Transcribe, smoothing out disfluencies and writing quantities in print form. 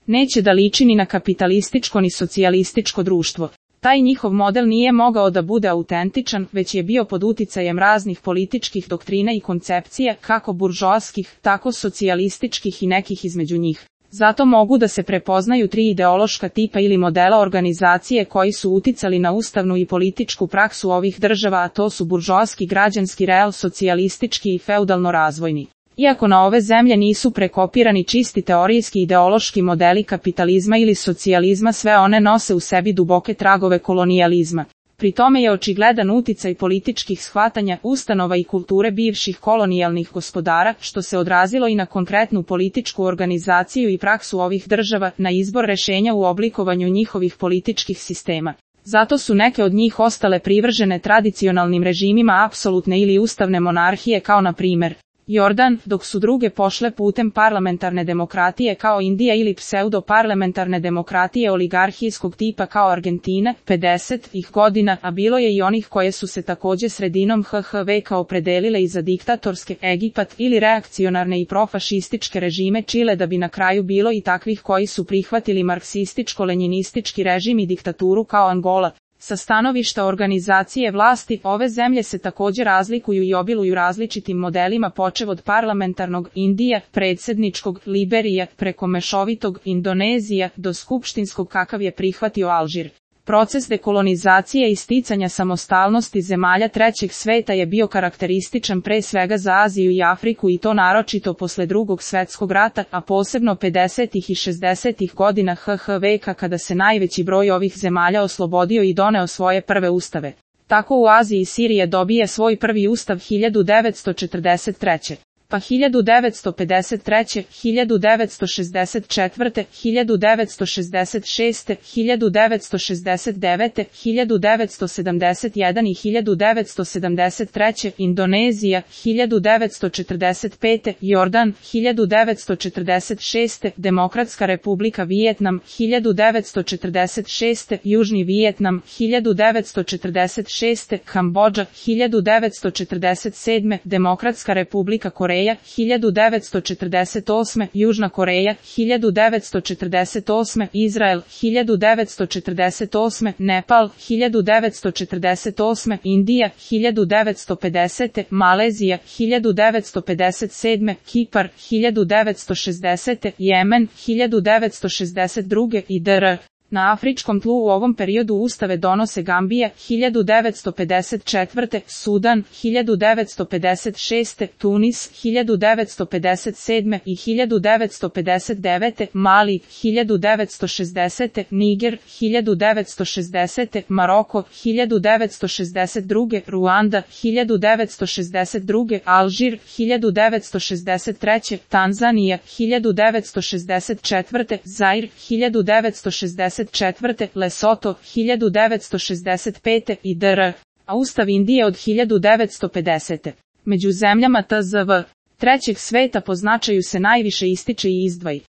Neće da liči ni na kapitalističko ni socijalističko društvo. Taj njihov model nije mogao da bude autentičan, već je bio pod uticajem raznih političkih doktrina i koncepcija, kako buržoaskih, tako socijalističkih i nekih između njih. Zato mogu da se prepoznaju tri ideološka tipa ili modela organizacije koji su uticali na ustavnu i političku praksu ovih država, a to su buržoaski, građanski, real socijalistički i feudalno-razvojni. Iako na ove zemlje nisu prekopirani čisti teorijski ideološki modeli kapitalizma ili socijalizma, sve one nose u sebi duboke tragove kolonijalizma. Pri tome je očigledan uticaj političkih shvatanja, ustanova i kulture bivših kolonijalnih gospodara, što se odrazilo i na konkretnu političku organizaciju i praksu ovih država, na izbor rešenja u oblikovanju njihovih političkih sistema. Zato su neke od njih ostale privržene tradicionalnim režimima apsolutne ili ustavne monarhije, kao na primer Jordan, dok su druge pošle putem parlamentarne demokratije kao Indija ili pseudo-parlamentarne demokratije oligarhijskog tipa kao Argentina, 50-ih godina, a bilo je i onih koje su se takođe sredinom HH veka opredelile i za diktatorske, Egipat, ili reakcionarne i profašističke režime Čile, da bi na kraju bilo i takvih koji su prihvatili marksističko-lenjinistički režim i diktaturu kao Angola. Sa stanovišta organizacije vlasti, ove zemlje se takođe razlikuju i obiluju različitim modelima počev od parlamentarnog Indija, predsjedničkog Liberija, preko mešovitog Indonezija, do skupštinskog kakav je prihvatio Alžir. Proces dekolonizacije i sticanja samostalnosti zemalja trećeg sveta je bio karakterističan pre svega za Aziju i Afriku, i to naročito posle Drugog svetskog rata, a posebno 50. i 60. godina HH veka, kada se najveći broj ovih zemalja oslobodio i doneo svoje prve ustave. Tako u Aziji Sirija dobije svoj prvi ustav 1943. Pa 1953., 1964., 1966., 1969., 1971. i 1973. Indonezija, 1945. Jordan, 1946. Demokratska republika Vijetnam, 1946. Južni Vijetnam, 1946. Kambodža, 1947. Demokratska republika Koreja, 1948. Južna Koreja, 1948. Izrael, 1948. Nepal, 1948. Indija, 1950. Malezija, 1957. Kipar, 1960. Jemen, 1962. i dr. Na afričkom tlu u ovom periodu ustave donose Gambija, 1954. Sudan, 1956. Tunis, 1957. i 1959. Mali, 1960. Niger, 1960. Maroko, 1962. Ruanda, 1962. Alžir, 1963. Tanzanija, 1964. Zair, 1964. Lesoto, 1965. i dr. a Ustav Indije od 1950. Među zemljama TZV trećeg sveta po značaju se najviše ističe i izdvaja